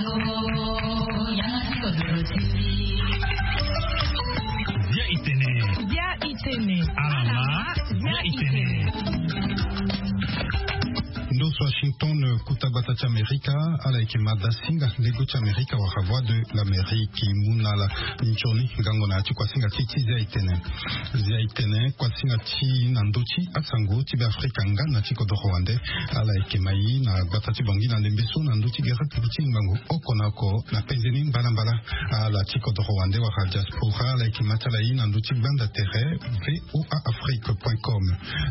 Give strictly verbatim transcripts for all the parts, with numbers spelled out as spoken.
Bia itene. Bia itene. Alama. Bia itene. Ndo so Washington, kuta gbata ti Amerika. Ala yeke mada singa lego ti Amerika wala Voix de l'Amérique. Mu na ala nzoni ngango na ya ti kuasinga ti ti Zia itene. Zia itene, kuasinga ti na ndö ti asango ti Beafrika nga na ti kodoro wande. Ala yeke mai na gbata ti Bangui na ndembe so na ndö ti gere ti ngbangbo oko na oko na penze ni mbalambala. Ala ti kodoro wande wala diaspora, ala yeke ma ti ala ye na ndö ti gbanda tere V O A Afrique point com.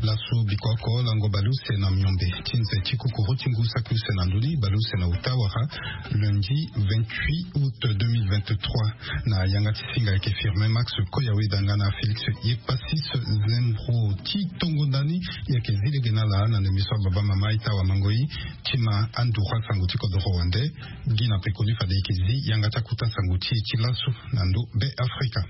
Laso biko oko lango baleuse na miombe ti nze ti kukuru ti ngu saki use na ndö ni, baleuse na uta wala lundi vingt-huit août deux mille vingt-trois. Na yanga ti singa ayeke Firmin Max Koyaweda nga na Félix Yepasis Zembro. Ti tongo ndani, e yeke zi lege na ala na ndembe so ababa mama ita wamango e ti ma anduru asango ti kodoro wande. Gi na pekoni fade e yeke zi yanga ti akuta sango ti e ti laso na ndö Beafrika.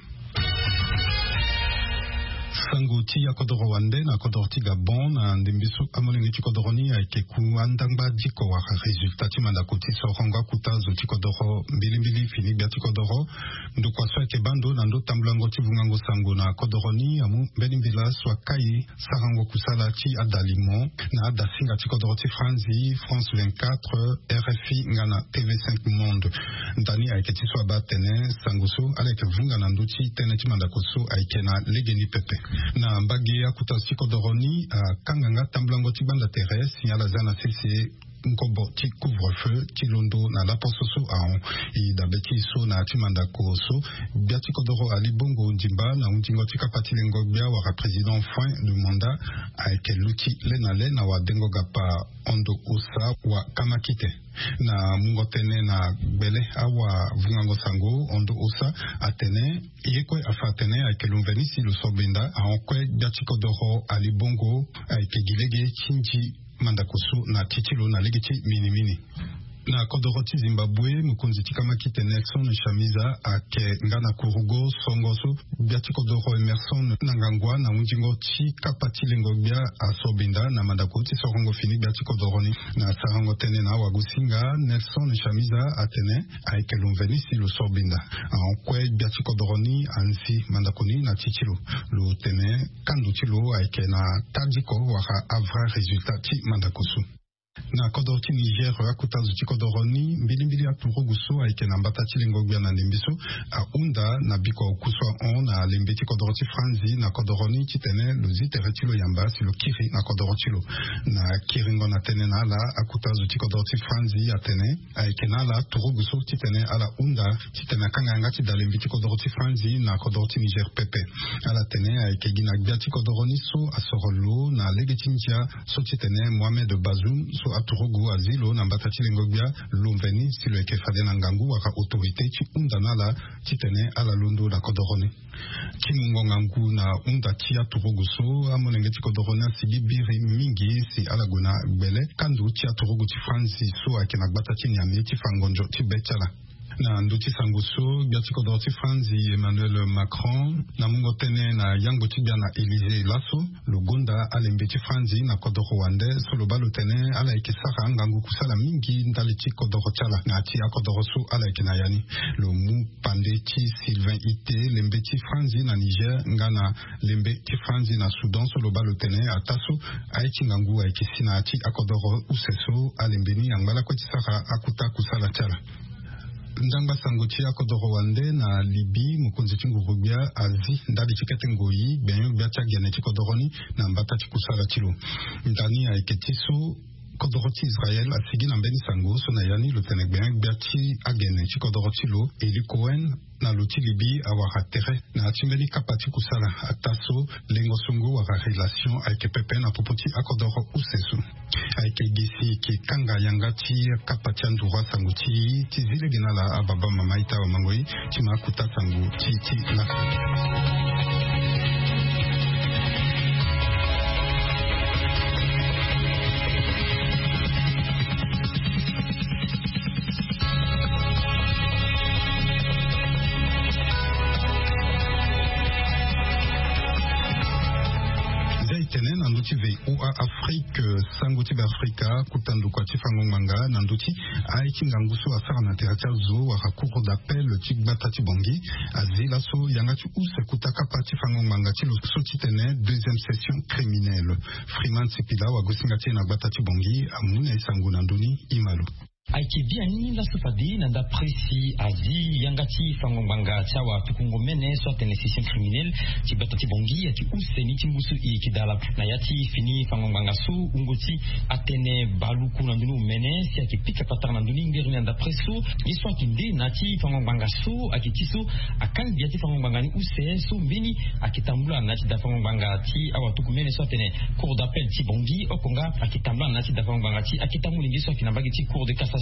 Sango ti akodoro wande na kodoro ti Gabon na ndembe so amolenge ti kodoro ni ayeke ku andangba diko wala résultat ti mandako ti sorongo akuta zo ti kodoro mbilimbili fini gbia ti kodoro. Ndokua so ayeke baa ndo na ndo tambulango ti vungango sango na kodoro ni amu mbeni mbela so akai sarango kusala ti adalimo na adasinga ti kodoro ti Franzi, France vingt-quatre, R F I nga na T V cinq Monde. Ndani ayeke ti so abaa atene sango so ala yeke vunga na ndö ti tënë ti mandako so ayeke na legeni pepe. Na mbage akuta zo ti kodoro ni akanga nga tambulango ti gbanda tere si ala za na sese nkobo ti couvre-feu ti londo na laposo so ahon. E dabe ti e so na ya ti mandako so, gbia ti kodoro Ali Bongo Ondimba na hundingo ti kapa ti lengo gbia wala président fin de mandat ayeke luti le na le na wadengo gapa ondo osa wa kamakite. Na mungo tënë na gbele awavungango sango ondo osa atene ye kue afa atene ayeke lo mveni si lo so benda ahon kue gbia ti kodoro Ali Bongo ayeke gi lege ti nzi mandako so na ti ti lo na lege ti minimini. Na kodoro ti Zimbabwe, mokonzi ti kamakite Nelson Chamisa ayeke nga na kurugo songo so gbia ti kodoro Emerson Mnangagwa na hundingo ti kapa ti lengo gbia asobinda na mandako ti sorongo fini gbia ti kodoro ni. Na sarango tënë na awagosinga, Nelson Chamisa atene ayeke lo mveni si lo sobinda ahon kue gbia ti kodoro ni anzi mandako ni na ti ti lo. Lo tene kando ti lo ayeke na tadiko wala avrai résultat ti mandako so. Na kodoro ti Niger, akuta zo ti kodoro ni, mbilimbili aturugu so ayeke na mbata ti lengo gbia na ndembe so ahunda na biko oku so ahon na lembe ti kodoro ti Franzi na kodoro ni titene lo zi tere ti lo yamba si lo kiri na kodoro ti lo. Na kiringo na tënë na ala, akuta zo ti kodoro ti Franzi atene ayeke na ala turugu so titene ala hunda titene akanga yanga ti dalembe ti kodoro ti Franzi na kodoro ti Niger pepe. Ala tene ayeke gi na gbia ti kodoro ni so asoro lo na lege ti ndia so titene Mohamed Bazoum so aturugu azi lo na mbata ti lengo gbia lo mveni si lo yeke fade na ngangu wala autorité ti hunda na ala titene ala londo na kodoro ni. Ti mungo ngangu na hunda ti aturugu so, amolenge ti kodoro ni asigi biri mingi si ala gue na gbele kando ti aturugu ti Franzi so ayeke na gbata ti Niamey ti fa ngonzo ti be ti ala. Na ndö ti sango so, gbia ti kodoro ti Franzi Emmanuel Macron na mungo tënë na yangbo ti gbia na Élysée laso, lo gonda alembe ti Franzi na kodoro wande so lo baa lo tene ala yeke sara angangu kusala mingi ndali ti kodoro ti ala na ya ti akodoro so ala yeke na ya ni. Lo mu pande ti Sylvain Ité, lembe ti Franzi na Niger nga na lembe ti Franzi na Soudan so lo baa lo tene ataa so aye ti ngangu ayeke si na ya ti akodoro use so alembe ni angba lakue ti sara akuta kusala ti ala. Ndangba sango ti akodoro wande na Libye, mokonzi ti nguru-gbia azi ndali ti kete ngoi gbenyo-gbia ti agene ti kodoro ni na mbata ti kusala ti lo. Ndani ayeke ti so kodoro ti Israël asigi na mbeni sango so na ya ni lo tene gbenyo-gbia ti agene ti kodoro ti lo, Eli Cohen, na lo ti Libye awara tere na ya ti mbeni kapa ti kusala ataa so lengo songo wala relation ayeke pepe na popo ti akodoro use so. Ayeke gi si e yeke kanga yanga ti kapa ti anduru asango ti e ti zi lege na ala ababa mama ita wamango e ti ma akuta sango ti e ti lako. Nza e tene na ndö ti V O A Afrique. Sango ti Beafrika, kuta ndokua ti fango ngbanga na ndö ti aye ti ngangu so asara na tere ti azo wala cour d'appel ti gbata ti Bangui, azi laso yanga ti use kuta kapa ti fango ngbanga ti lo so ti tene deuxième session criminelle. Freeman Sipila, wagosinga ti e na gbata ti Bangui, amu na e sango na ndö ni. Ima lo. Ayeke biani laso fade na ndapre si azi yanga ti fango ngbanga ti awa tukungo mene so atene session criminelle ti gbata ti Bangui ayeke use ni ti ngu so e yeke dala. Na ya ti fini fango ngbanga so wungo ti atene baluku na ndö ni omene si ayeke pika patara na ndö ni ngeri ni na ndapre so. Ye so ayeke nde na ya ti fango ngbanga so ayeke ti so akangi ya ti fango ngbanga ni use so mbeni ayeke tambula na ya ti da fango ngbanga ti awa tuku mene so atene cour d'appel ti Bangui oko nga ayeke tambula na ya ti da fango ngbanga ti akete molenge so ayeke na mbage ti cour de cassation.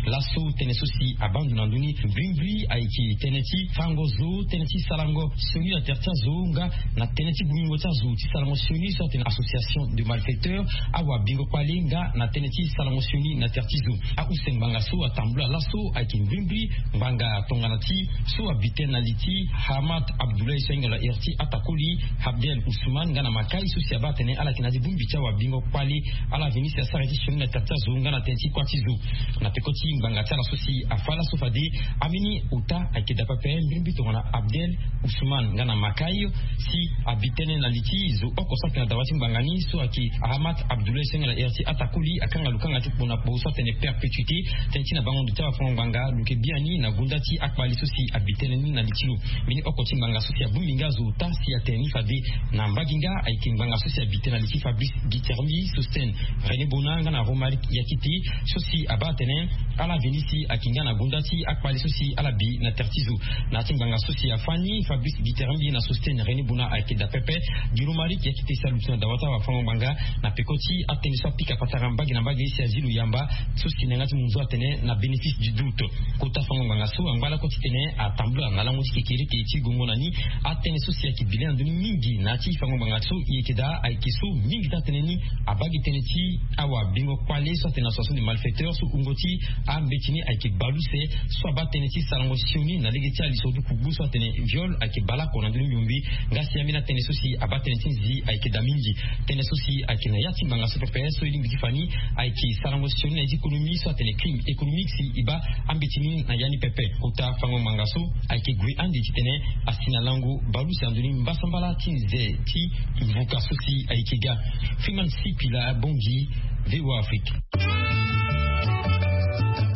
Laso tënë so si abaa ndo na ndö ni mbrimbri ayeke tënë ti fango zo, tënë ti sarango sioni na tere ti azo nga na tënë ti bungbingo ti azo ti sarango sioni so atene association de malfaiteurs. Awa bingo kpale nga na tënë ti sarango sioni na tere ti zo. Ahuse ngbanga so atambula laso ayeke mbrimbri ngbanga tongana ti so abi tënë na li ti Hamad Abdoulaye so ahinga lo airi ti atakoli Abdel Ousmane nga na makai so si abaa atene ala yeke na ya ti bongbi ti awa bingo kpale. Ala veni si asara ye ti sioni na tere ti azo nga na tënë ti kuâ ti zo. Na peko ti ngbanga ti ala so si afa laso fade ambeni ota ayeke daa pepe mbrimbri tongana Abdel Ousmane nga na makai si abi tënë na li ti zo oko so ayeke na dawa ti ngbanga ni so ayeke Ahamat Abdoulaye so ahinga na iri ti atakoli akanga lo kanga ti kpo na kpo so atene perpétuité. Tënë ti na bango ndo ti awafango ngbanga lo yeke biani na gonda ti akpali so si abi tënë ni na li ti lo. Mbeni oko ti ngbanga so si abongbi nga azo ota si atene ni fade na mbage nga ayeke ngbanga so si abi tënë na li ti Fabrice Guitermbi, Sostène René Bona nga na Romaric Yakite so si abaa atene ala veni si ayeke nga na gonda ti akpali so si ala bi na tere ti zo. Na ya ti ngbanga so si afa ni Fabrice Guitermbi na Sostène René Bona ayeke daa pepe. Gi Romaric Yakite si aluti na dawa ti awafango ngbanga na peko ti atënë so apika patara mbage na mbage si azi lo yamba so si na yanga ti munzu atene na bénéfice du doute. Kota fango ngbanga so angba lakue titene atambula na lango ti kekereke ti gongo na ni. Atënë so si ayeke bi lê na ndö ni mingi na ya ti fango ngbanga so e yeke daa ayeke so mingi ti atënë ni abaa gi tënë ti awa bingo kpale so atene association de malfaiteurs so wungo ti ambeti ni ayeke bale use so abaa tënë ti sarango sioni na lege ti aliso ti kugbu so atene viol ayeke baleoko na ndö ni miombe. Nga si ambeni atënë so si abaa tënë ti nzi ayeke daa mingi. Tënë so si ayeke na ya ti ngbanga so pepe so e lingbi ti fa ni ayeke sarango sioni na ya ti économie so atene crime économique si e baa ambeti ni na ya ni pepe. Kota fango ngbanga so ayeke gue ande titene asi na lango bale use na ndö ni mbasambala ti nze ti mvuka so si ayeke ga. Freeman Sipila, Bangui, V O A Afrique.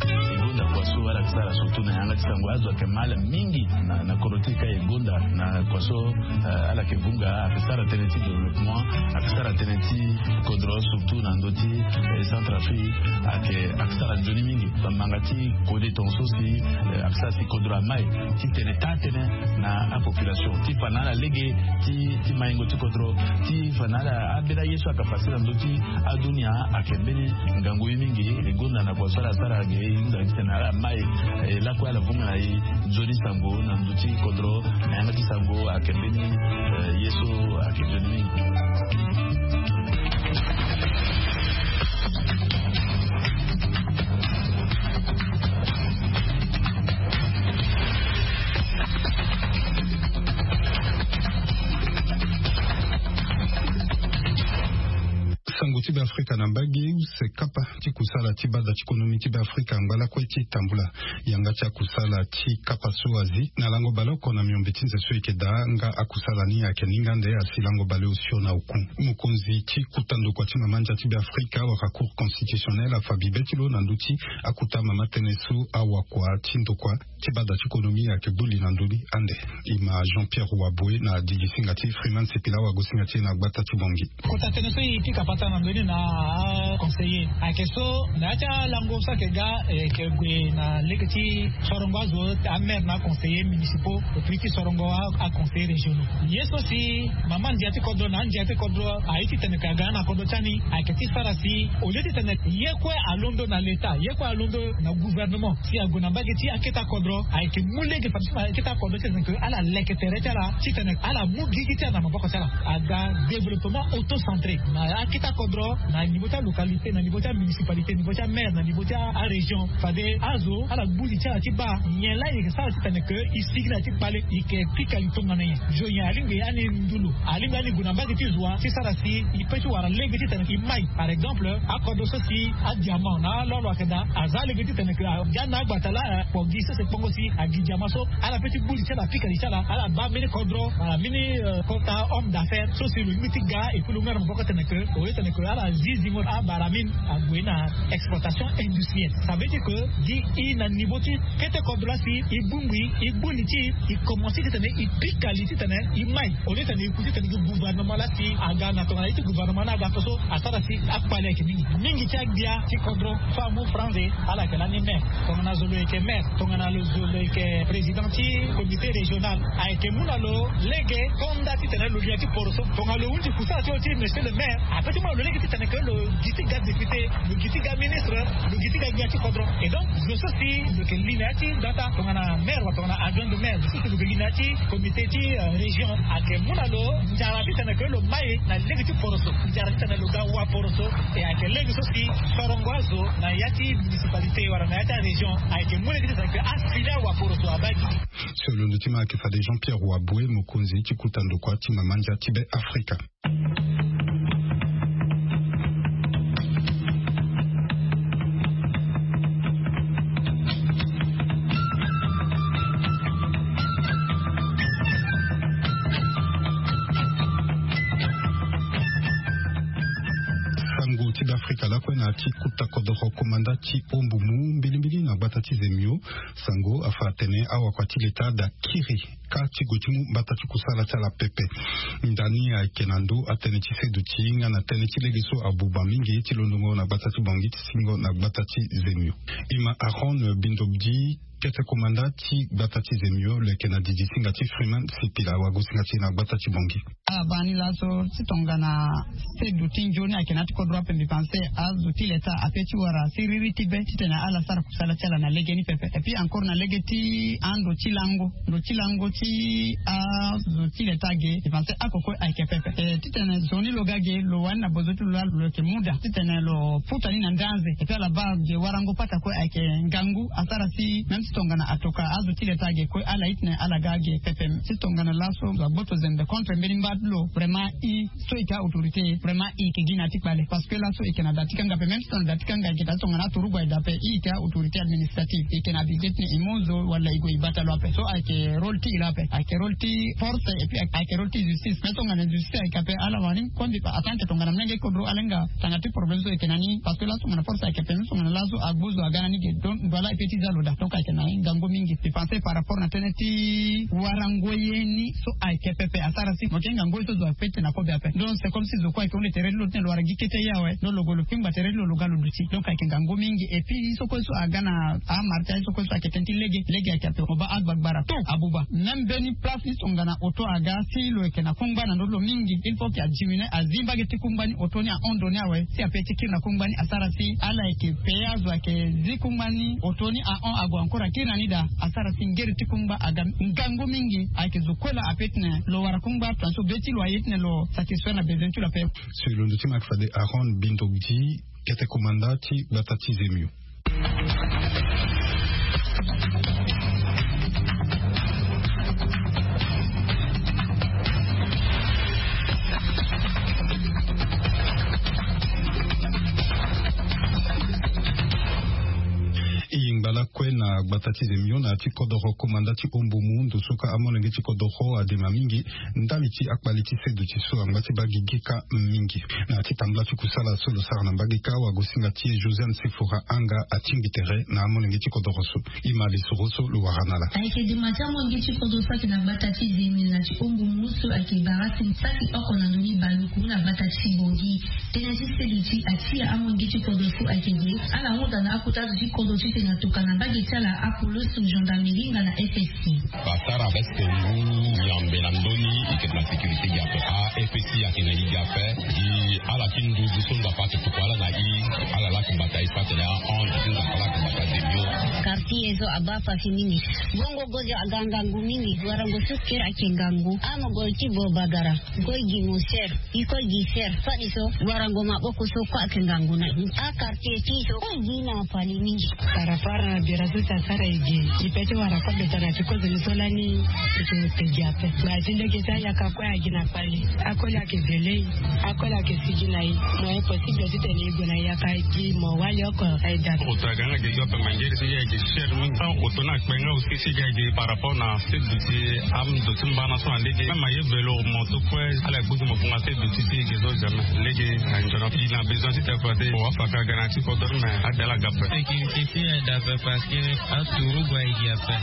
E gonda kua so ala yeke sara surtout na yanga ti sango azo ayeke mal mingi na, na kodro ti e ka e gonda na kua so, eh, ala yeke vunga, ayeke sara tënë ti développement, ayeke sara tënë ti kodro surtout na ndö ti, eh, Centrafrique, ayeke, ayeke sara nzoni mingi. Bamanga ti kode tongaso si, eh, ayeke sara si kodro amai titene taa tënë na apopulation ti fa na ala lege ti, ti maingo ti kodro, ti fa na ala ambeni aye so ayeke facile na ndö ti adunia. Ayeke mbeni ngangu ye mingi. E gonda na kua so ala sara ge e hunda titene ala mai, eh, lakue ala vunga na e nzoni sango na ndö ti kodro na yanga ti sango ayeke mbeni, eh, ye so ayeke nzoni mingi. Sango ti Beafrika na mbage, use kapa ti kusala ti bada ti konomi ti Beafrika angba lakue ti tambula. Yanga ti akusala ti kapa so azi na lango baleoko na miombe ti nze so e yeke daa nga akusala ni ayeke ni nga nde asi lango baleosio na oku. Mokonzi ti kuta ndokua ti mama ndia ti Beafrika wala Cour constitutionnelle afa bibe ti lo na ndö ti akuta mama tënë so awakua ti ndokua ti bada ti konomi ayeke gbu li na ndö ni ande. E ma Jean Pierre Waboe na digisinga ti Freeman Sipila, wagosinga ti e na gbata ti Bangui. Kota tënë so e pika patara na ndö ni na aconseiller ayeke so na ya ti alango so ayeke ga, e yeke gue na lege ti sorongo azo, amaire na aconseiller municipaux, et puis ti sorongo a, aconseiller régionaux. Ye so si mama ndia ti kodro na andia ti kodro aye titene ka ga na kodro ti ani ayeke ti sara si au lieu titene ye kue alondo na l'État, ye kue alondo na gouvernement, si ague na mbage ti akete akodro, Ayeke mu lege fade so na akete akodro ti tene ke ala leke tere ti ala titene ala mu gigi ti ala na maboko ti ala. Aga développement auto centré na akete akodro, na niveau ti alocalité, na niveau ti amunicipalité, niveau ti amaire, na niveau ti arégion. Fade azo ala gbu li ti ala ti baa nyen laa e yeke sara titene ke e sigi na ya ti kpale e yeke pika li tongana nyen. Zo nyen alingbi ani ndu lo, alingbi ani gue na mbage ti zo wa ti sara si e pe ti wara lege titene e mai. Par exemple, akodro so si adiamant na alolo ayeke daa, aza lege titene ke aga na agbata laa, eh, kpo gi sese kpongo si agi diamant so ala pe ti gbu li ti ala, apika li ti ala, ala baa mbeni kodro wala mbeni, eh, kota homme d'affaires so si lo lingbi ti ga, et puis lo mu na maboko titene ke, au lieu titene ke ala zi zingo abara mine, ague na exploitation industrielle. Ça veut dire que gi e na niveau ti kete kodro laa si e bongbi e gbu li ti e, e commencer titene e pika li titene e mai. Au lieu titene e ku titene gi gouvernement laa si aga na tongana ye ti gouvernement ni aga ape so asara si akpale ayeke mingi. Mingi ti agbia ti kodro so amu franze, ala yeke lani maire. Tongana zo lo yeke maire, tongana lo zo lo yeke président ti comité régional, ayeke mu na lo lege konda titene lo lia ti poroso. Tongana lo hunzi kusala ti lo ti monsieur le maire, ape ti mu na lo lege titene ke lo gi ti ga député, lo gi ti ga ministre, lo gi ti ga gbia ti kodro. Et donc zo so si lo yeke li na ya ti data tongana maire wala tongana adjoint de maire, zo so si lo yeke li na ya ti comité ti, euh, région, ayeke mu na lo nzara titene ke lo mai na lege ti poroso, nzara titene lo ga wa poroso. E ayeke lege so si sorongo azo na ya ti municipalité wala na ya ti arégion ayeke mu lege titene ke asili awa poroso abaa gi. So londo ti ma ayeke fade Jean Pierre Waboué, mokonzi ti kuta ndokua ti mama ndia ti Be Afrika. Sango ti Be Afrika lakue na ya ti kuta kodoro komanda ti Ombumu mbilimbili na gbata ti Zemio. Sango afa atene awakua ti leta da kiri ka ti gue ti mu mbata ti kusala ti ala pepe. Ndani ayeke na ndö atënë ti seduti nga na tënë ti lege so abuba mingi ti londongo na gbata ti Bangui ti singo na gbata ti Zemio. Ima Aaron Bindobdi, kete komanda ti gbata ti Zemio, lo yeke na didi singa ti Freeman Sipila, awagosinga ti e na gbata ti Bangui. Ala baa ni laso ti tongana seduti nzoni ayeke na ya ti kodro ape, mbi pense azo ti leta ape ti wara siriri ti be titene ala sara kusala ti ala na lege ni pepe. Et puis encore na lege ti ando ti lango, ndo ti lango ti azo ti leta ge, mbi pense oko kue ayeke pepe. E, titene zo ni lo ga ge, lo wani na bozo ti lo laa lo yeke mu daa titene lo puta ni na ndanze. Et puis ala baa ge warango pata kue ayeke ngangu asara si même ti tongana atoka azo ti leta ge kue ala itene ala ga ge pepe. Ti tongana laso zo agboto zembe contre mbeni mba ti lo, vraiment i so e yeke autorité, vraiment e yeke gi na ya ti kpale. Parce que laso e yeke na da ti kanga ape, même si tongana da ti kanga e yeke daa, tongana aturugu aye daa ape, e yeke autorité administrative, e yeke na abidé ti tene e mu zo wala e gue e bata lo ape. So ayeke rôle ti e laa ape, ayeke rôle ti force et puis ayeke rôle ti justice. Mais tongana justice ayeke ape, ala wani kondi atante tongana molenge ti kodro ala hinga tanga ti problème so e yeke na ni. Parce que laso tongana force ayeke ape, même tongana laso agbu zo aga na ni ge, donc ndo ala e pe ti za lo daa. Donc ayeke na ngangu mingi. Mbi pense par rapport na tënë ti warango ye ni so ayeke pepe asara si mo yeke hinga ngoi so zo ape ti tene na kobe ape. Donc c'est comme si zo kue ayeke hunde tere ti lo ti tene lo wara gi kete ye awe. Donc lo gue lo kpingba tere ti lo, lo ga lo duti. Donc ayeke ngangu mingi. Et puis ye so kue so aga na amara ti aye so kue so ayeke tënë ti lege, lege ayeke ape. Mo baa agbagbara tout abuba. Même mbeni place ni tongana auto aga si lo yeke na kungba na ndö ti lo mingi, il faut que a diminuer, azi mbage ti kungba ni, auto ni ahon ndo ni awe si ape ti kiri na kungba ni asara si ala yeke payé azo ayeke zi kungba ni, auto ni ahon ague encore akiri na ni daa. Asara si ngeri ti kungba aga ngangu mingi. Ayeke zo kue laa ape ti tene lo wara kungba, tongaso be ti lo aye ti tene lo satisfaire na besoin ti lo ape. So e londo ti ma ayeke fade Aaron Bindobdi, kete komanda ti gbata ti Zemio. E yingba lakue na gbata ti Zemio na ya ti kodoro komanda ti Ombumu, ndo so ka amolenge ti kodoro adema mingi ndali ti akpale ti seduti so angba ti baa gigi ka mingi. Na ya ti tambula ti kusala so lo sara na mbage ka, wagosinga ti e Josiane Sefora Anga atingbi tere na amolenge ti kodoro so. Ima lisoro so lo wara na ala. Ayeke dema ti amolenge ti kodro so ayeke na gbata ti Zemio na ti Ombumu so ayeke bara tene saki oko na ndoni baluku na gbata ti Bangui. Tënë ti seduti atia amolenge ti kodro so ayeke ge, ala hunda na akota azo ti kodro titene atoka na mbage ti ala apoloso, gendarmerie nga na F S I. Basara veste ngu nyambe na ndö ni, e yeke na sécurité gi ape. A F S I ayeke na e gi ape. Gi ala ti nduzu so Nzapa ayeke tokua ala na e, ala laa ayeke bata e so atene ahon, ti Nzapa laa ayeke bata Zemio. Ti ye so abaa pasi mingi. Bongo gozo aga ngangu mingi. Warango so kiri ayeke ngangu. Amogolo ti bo bagara. Kue gi mo ser. Iko gi ser. Fadeso warango maboko so kue ayeke ngangu na i. Akartier ti so kue gi na pali mingi. Par rapport na bira so si asara e gi. E pe ti wara kobe tara ti kozoni so lani. Eke gi ape. Ba ti lege ti ayaka kue agi na pali. Akoli ayeke zele e. Akoli ayeke sigi na e. Mo impossible titene e gue na yaka e gi mo wali oko aye da. Oto aga nga gi gi ape ma ngeri si ye gi cher mingi. Oto ni akpe nga aussi si ga gi par rapport na sedu ti ame do ti mbana so na lege. Même aye velo moto kue ala gbuti mo funga sedu ti ti ge so jamais. Lege anzona i na besoin ti te kua te. Wa faka ga na ti kodoro mais ade ala ga pe. Sécurité ti aye da pe parce que aturugu aye gi ape.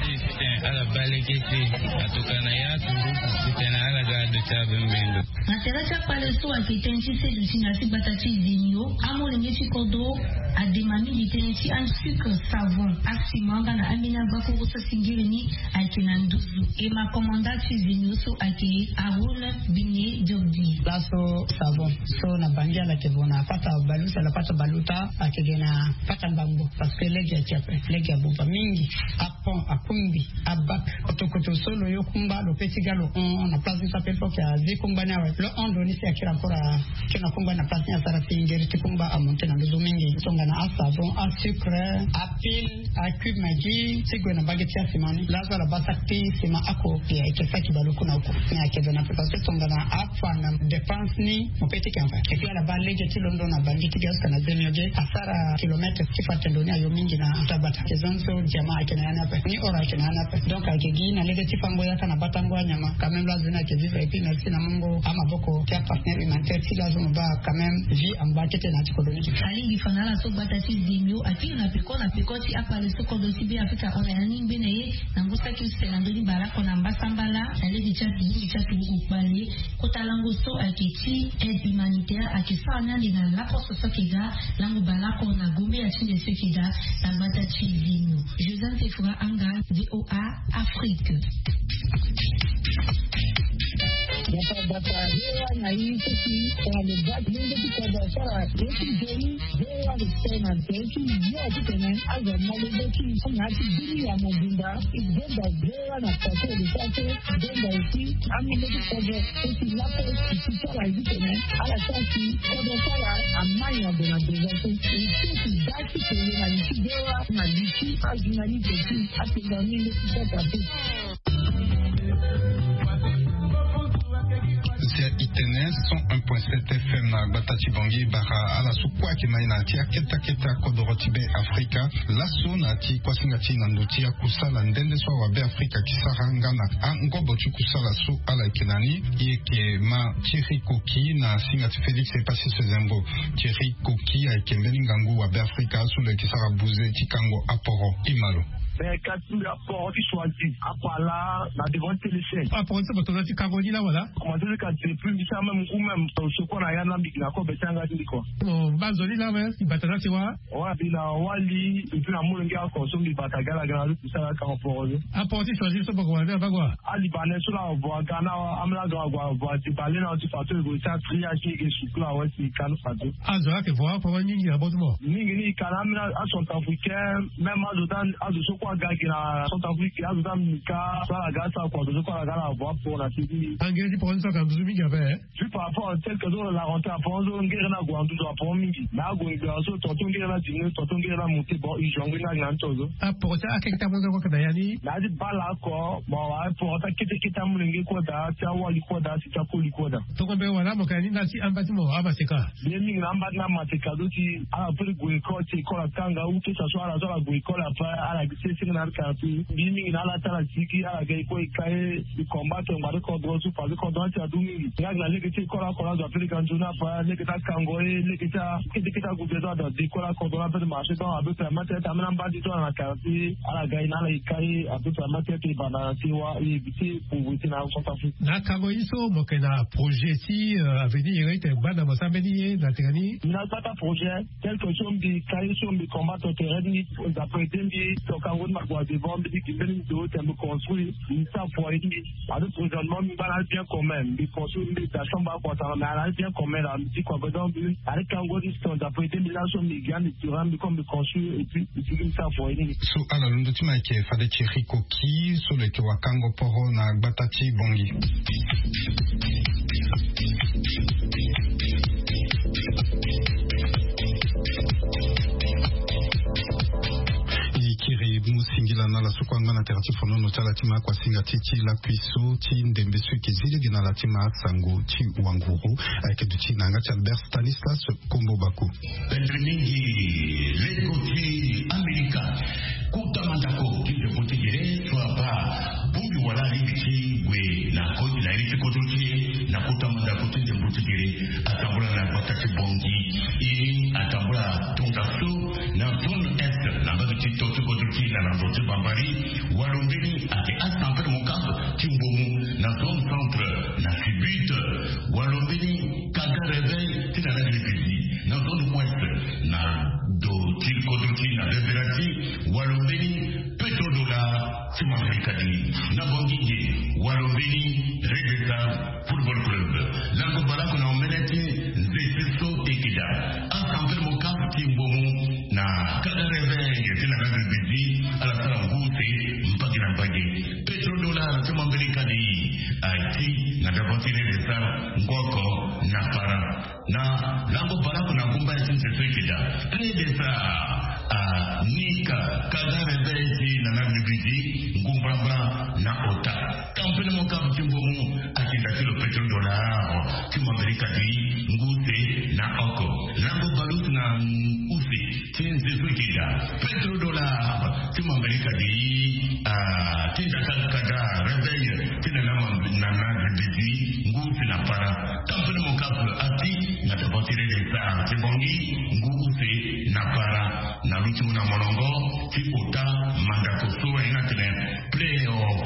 Tene ala baa lege ti e atokua na ya turugu titene ala ga ado ti abembendo. Na tere ti akpale so ayeke tënë ti seduti na ya ti gbata ti Zemio, amolenge ti kodro adema mingi tënë ti asucre savon asima nga na ambeni agbakuru so asingiri ni ayeke na nduzu. E ma komanda ti Zemio so ayeke Haroun Bine Diobdi. Laso savon so na bangi ala yeke vo na pata balusa la pata baluta ayeke ge na pata mbangbo. Parce que lege ati ape lege abuba mingi. Apon akungbi abak kotokoto so lo yo kungba lo pe ti ga lo hon na place ni so ape fo ke azi kungba ni awe lo hon lo ni si akiri encore. Akiri na kungba ni na place ni asara si ngeri ti kungba amonte na nduzu mingi tongana asavon asucre apile acube magi ti gue na mbage ti asima ni laso ala baa saki ti sima ako. Ayeke saki baleoko na oko ni ayeke gue na ape parce que tongana afa na dépense ni mo pe ti ke anfa. Epuis ala baa lege ti londo na bangi ti ga jusque na Zemio ge asara kilomètre ti fa tendo ni ayo mingi na tagbata. Ke zone so diamant ayeke na ya ni ape ni oro ayeke na ya ni ape. Donc ayeke gi na lege ti fango yaka na batango anyama quand même lo azo ni ayeke vivre epuis merci na mungo amaboko ti apartenaire humanitaire ti lo azo mo baa quand même vie angba kete na ya ti kodro ni. Alingbi fa na ala so gbata ti Zemio akiri na peko na peko ti akpale so kodro ti Be Afrika ahon na ya ni ngbene ye na ngu saki use na ndoni baleoko na mbasambala na lege ti aturugu kpale. Kota lango so ayeke ti aide humanitaire ayeke sara ni ande na laposo so ayeke ga lango baleoko na gombe ya ti nde so ayeke ga na gbata ti Zemio. Joseph Efra Anga, VOA Afrique. Bata bata VOA na i so si tongana lo baa ti lenge ti kodro asara ye ti nzoni. VOA lo tene na tene ti yo titene azo na lenge ti na ya ti bini ya mobimba. Zonza VOA na plateau de sante. Zonza aussi amolenge ti kodro so si lapo ti sara ye titene ala sara si kodro so ala amai na gue na besoin so. E so ti da ti tene na li ti VOA na li ti ajournaliste ti apenga ni nde ti sara te. Zia itene cent un point sept F M na gbata ti Bangui bara ala so kue ayeke na ye na ya ti akete akete akodoro ti Be Afrika. Laso na ya ti kuasinga ti e na ndo ti akusala nde nde so awa Be Afrika ayeke sara nga na angobo ti kusala so ala yeke na ni. E yeke ma Thierry Koki na singa ti Félix Epassis Zengo. Thierry Koki ayeke mbeni ngangu wa Be Afrika so lo yeke sara buze ti kango aporo. E ma lo. Mais kasi mbi aporo ti choisi apala na devant téléchaîne. Aporo ti so bato na ti kango ni la wala. Commencé ti kasi depuis mbi sara même ngu même sokua na ya na mbi na kobe ti yanga ti mbi kua. Mo baa nzoni la me mbi bata na ti wa. Wa mbi na wali mbi na molenge oko so mbi bata ga ala ga na lo ti sara kango poro. Aporo ti choisi so boko wala mbi na baa kua. Alibanais so la avo aga na amolenge avo avo ati bale na ti fato ego ti atria ti ege sukula awe si kanu fato. Azo ayeke vo aporo mingi na bo ti mo. Mingi ni e ka na ambeni acentrafricain. Même azo ti azo so kue aga gi na centrafrique azo ti amika so ala ga asara kua azo so kue ala ga ala avo aporo na seki. Angere ti poro ni so ayeke na nduzu mingi ape. Juste par rapport tel que so la rentrée aporo so ngere ni ague na nduzu aporo mingi. Mais ague na so tonton ngere ni adiminué tonton ngere ni amonté bon e joue ngoi ni agi na ni tonzo. Aporo ti akeke ti amonzo kue ayeke na ya ni. Na ya ti baleoko mo awe aporo ti akete kete amolenge kue daa ti awali kue daa si ti akoli kue daa. Tongo mbe wala mo yeke na ni na ti amba ti mo amaseka. Mbi ye mingi na amba ti na maseka zo ti ala peut ti gue école ti école akanga ou que ça soit ala so ala gue école après ala gi sese nga na ala quartier. Mbi ye mingi na ala ti ala sigi ala ga école e ka ye. Mbi combattre ngba ti kodro so parce que kodro ni ti adu mingi nga gi na lege ti école oko la azo ape lege anzoni ape lege ti akango ye lege ti akete kete ague besoin azo adu école akodro ni ape ti marché donc ape permettre ti ambeni amba ti so ala na quartier ala ga ye na ala e ka ye ape permettre ti e banda na ti wa e éviter pauvreté na centrafrique. Na akango ye so mo yeke na projet ti avenir iri ti tene gbanda mo sara mbeni ye na tene ni. Mbi na gbata projet tel que so mbi ka ye so mbi combattre tere ni. D'après te mbi toka Mbi construire mbi sa foyer ni. Ade prochainement mbi baa na bien commun mbi construire mbi da chambre akua sara mais ala bien commun la mbi ti kua besoin mbi ade kango distance après deux mille ans so mbi ga mbi tura mbi comme mbi construire et puis mbi ti mbi sa foyer ni. So ala londo ti ma yeke fade ti riko ki so lo yeke wakango poro na gbata ti bongi. E kiri mu singila na ala so kue angba na tere ti fonono ti ala ti ma akua singa ti ti lakui so ti ndembe so eke zi lege na ala ti ma asango ti wanguru. Ayeke duti na yanga ti Albert Stanislas Kombo Bako. Pendre mingi lego ti Amerika. Kota mandako ti ndembo ti gere so abaa bongbi wala alingbi ti gue na koti na ye ti kodro ti e na kota mandako ti ndembo ti gere. Atambula na gbata ti bongi. E atambula tongaso na zone est na mbage ti to ti kodro ti na lando ti bambari. Walo mbeni ake asampere mokaf ti mbomu na zone centre na sibit. Walo mbeni kaga reveil ti na lagrifizi na zone ouest na do ti kodro ti na bebera ti walo mbeni petrodollar ti mafrika di na bongi ge. Walo mbeni redesar football club lango balaku na omene ti nze ti so ekeda asampere mokaf ti mbomu na kaga reveil ti na lagrifizi. Ala sara ngu se mbage na mbage. Petrodollar ti mafrika di ati na davanti redesar ngoko na para na lango balaku na ngumba ya ti nze so ekeda. Redesar anika kaga reveil ti na lagrifizi ngu mbrambra na ota. Tampene mokaf ti mbomu akenda ti lo petrodollar ti mafrika di ngu se na oko lango balusu na use ti nze so ekeda. Petrodollar ti mafrika di atinda kaka kaga reveil ti na na na na bibisi ngu ti na para. Tampene mokaf ati na davanti redesar ti bongi ngu use na para na luti mu na molongo ti ota mandako so aye na tene playoff.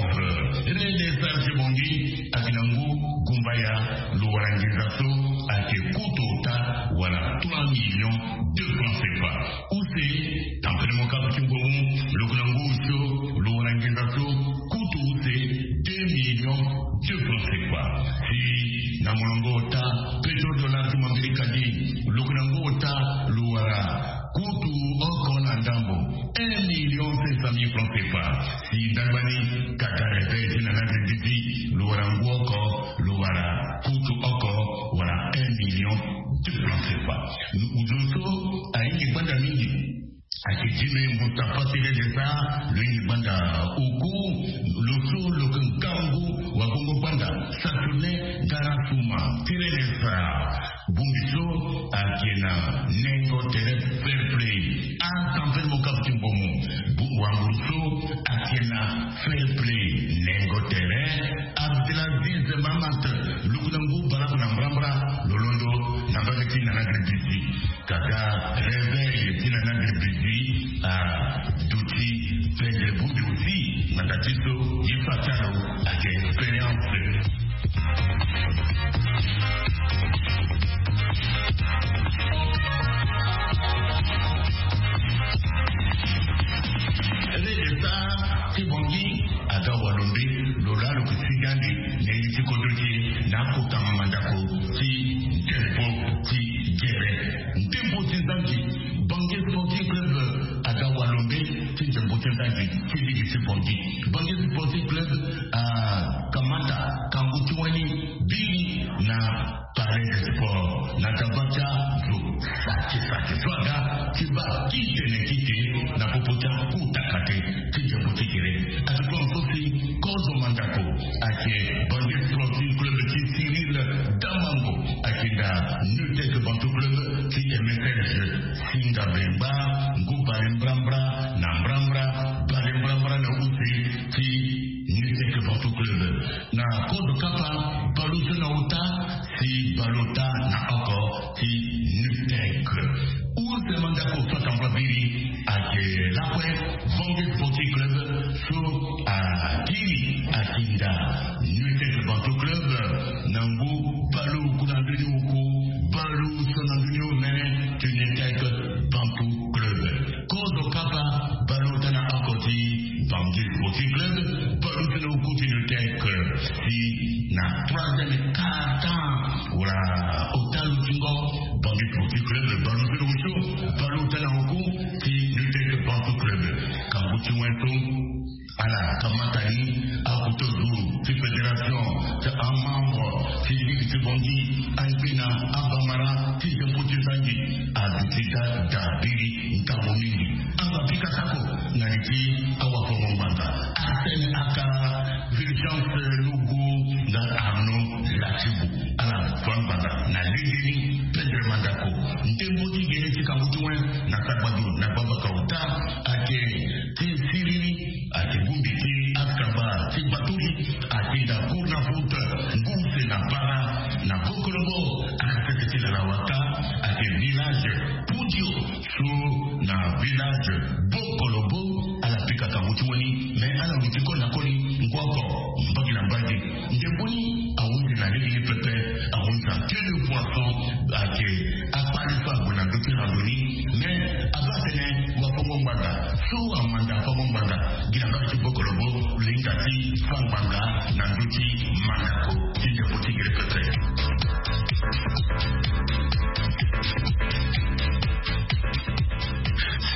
Redesar ti bongi ake na ngu gumbaya lo wara nginza so ake kutu ota wala trois millions de francs cfa. Use tampene mokaf ti mbomu loko na ngu so lo wara nginza so kutu use deux millions de francs cfa. Si na molongo ota petrodollar ti mafrika di loko na ngu ota lo wara kutu oko na ndambo un million cinq cent mille francs cfa. Si ndagba ni kaga reveil ti na na bibisi lo wara ngu oko lo wara kutu oko wala un million de francs cfa. Uzo so ahingi gbanda mingi ake dime mustafa ti redesar lo hingi gbanda oku lo so lo ke ngangu wagongo gbanda saturne garasuma ti redesar. Bongbi so ake na nengo tere fair play. Asampene mokaf ti mbomu wanguru so ake na fair play nengo tere. Abdelaziz mamat loko na ngu balaku na mbrambra lo londo na mbage ti na na bibisi. Kaga reveil ti na na bibisi aduti pendre bongbi aussi na nda ti so ye fa ti alo ake expérience. Redesar ti bongi aga walombe lo laa lo ke sigi ande na iri ti kodro ti e na akota mandako ti ndembo ti gere. Ndembo ti nzangi bange sporting club aga walombe ti ndembo ti nzangi ti ligi ti bongi. Bange sporting club akamata kangu ti wani biri na palais de sport na gaba ti azo saki saki so aga ti baa ki tene ki te na popo ti akota kate ti ndembo ti gere. Ati kue so si kozo mandako ake bange sporting club ti cyril damango ake na nutec bantu club ti msl singa bengba ngu bale mbrambra na mbrambra bale mbrambra na use ti nutec bantu club. Na kozo kapa balo so na ota si balo ota na oko ti nutec. Use mandako so atambula biri ake lakue bange sporting club so akiri akinda nutec bantu club na ngu balo ku na ndoni oku balo so na ndoni omene ti nutec bantu club. Kozo kapa balo ota na oko ti Aduti da da biri ntango mingi. Aba pika tako na liti awa fongo ngbanga. Arsène aka Fulgence Logo nga Arnaud Lachibu. Ala fa ngbanga na lege ni pendre mandako. Ndembo ti gene ti kangu ti wen na sagbadu na gbamba kauta ake ti siriri ake gumbi ti akaba ti baturi ake da cour na foot ngu se na para na bokolobo ake sese ti lala waka ake village Pudio so na village bokolobo. Ala pika kangu ti wani mais ala luti ko na koli ngu oko mbagi na mbagi. Ndembo ni ahunzi na lege ni pepe. Ahunzi na queue de poisson ake akpali so ague na ndö ti rando ni. Mais aba tene wafongo ngbanga so amanda fongo ngbanga gi na mbage ti bokolobo linga ti fa ngbanga na ndö ti mandako ti ndembo ti gere pepe.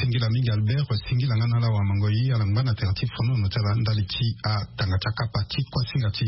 Singila mingi Albert, singila nga na ala wa mango yi ala ngba na tere ti fono no ti ala ndali ti atanga ti akapa ti kuasinga ti.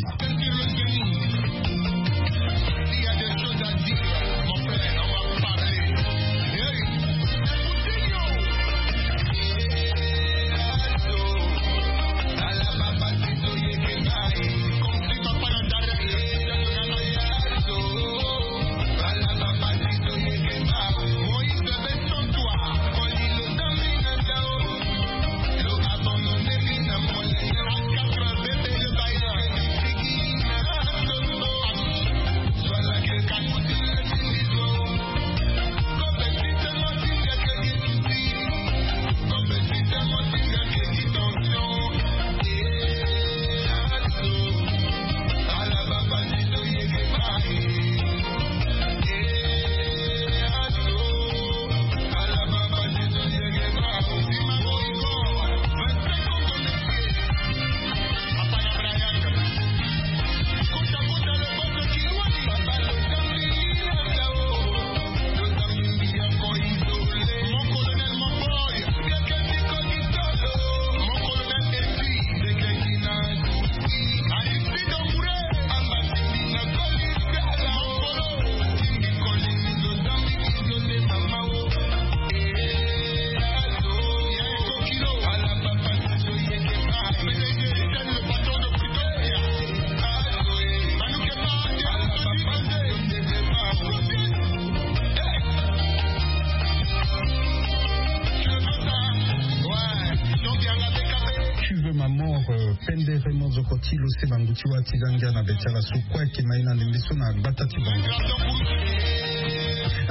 Tu veux ma mort, euh, pendere mozoko ti lo se bangu ti wa ti zangia na be ti ala so kue ayeke ma ye na ndembe so na gbata ti bangu.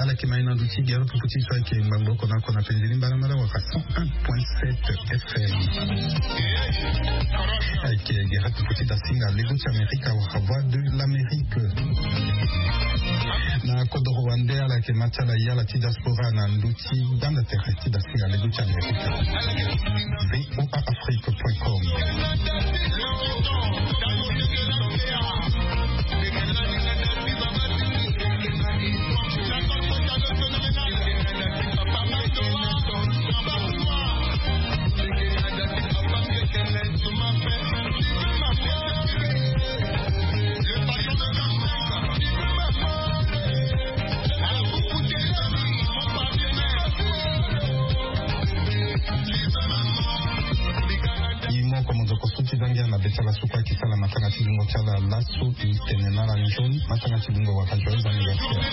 Ala yeke ma ye na ndö ti gere pupu ti so ayeke ngbangbo oko na oko na penze ni mbalambala wala cent un point sept F M. Ayeke gere pupu ti dasinga lego ti Amerika wala Voix de l'Amérique. Na kodoro wande ala yeke ma ti ala ye ala ti diaspora na ndö ti gbanda tere ti dasinga lego ti Amerika. V O A Afrique point com. Imo komo nzoko so ti zangia na be ti ala so kue ayeke sala matanga ti lungo ti ala laso. Tene na ala nzoni matanga ti lungo wala joyeux anniversaire.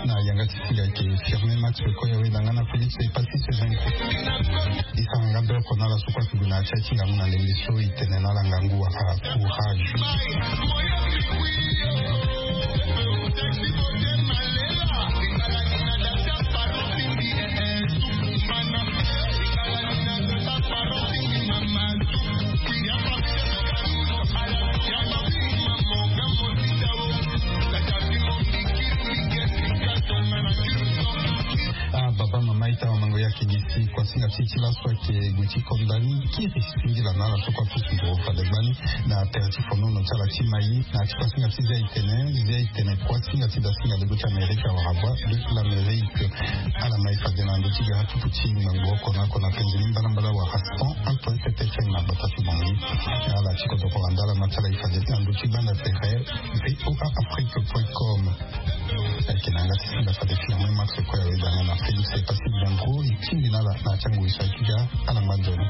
Na yanga ti si ayeke Firmin Max Koya Wela nga na Félix Epassi Sevenco. E sara nga be oko na ala so kue ayeke gue na ya ti aye ti ngangu na ndembe so. E tene na ala ngangu wala courage. Ah, baba, mama, ita wa mango ya Ayeke gi si kuasinga ti e ti laso ayeke gue ti konda ni kiri. Singila na ala so kue apusu nduru fade gbani na tere ti fonono ti ala ti Maï. Na ya ti kuasinga ti zia itene, zia itene kuasinga ti dasinga lego ti Amerika wara bua de l'Amérique. Ala mai fade na ndö ti gara tutu ti ngbangbo oko na oko na penze ni mbalambala wara cent un point sept F M na gbata ti Bangui. Ala ti kodoro wanda ala ma ti ala e fade na ndö ti banda tere V O A Afrique point com. Ayeke na yanga ti singa fade Firmin Max kue awe danga na Félix Passy Bianco e tingbi na ala na ya ti angu e so ayeke ga. Ala ngba nzoni.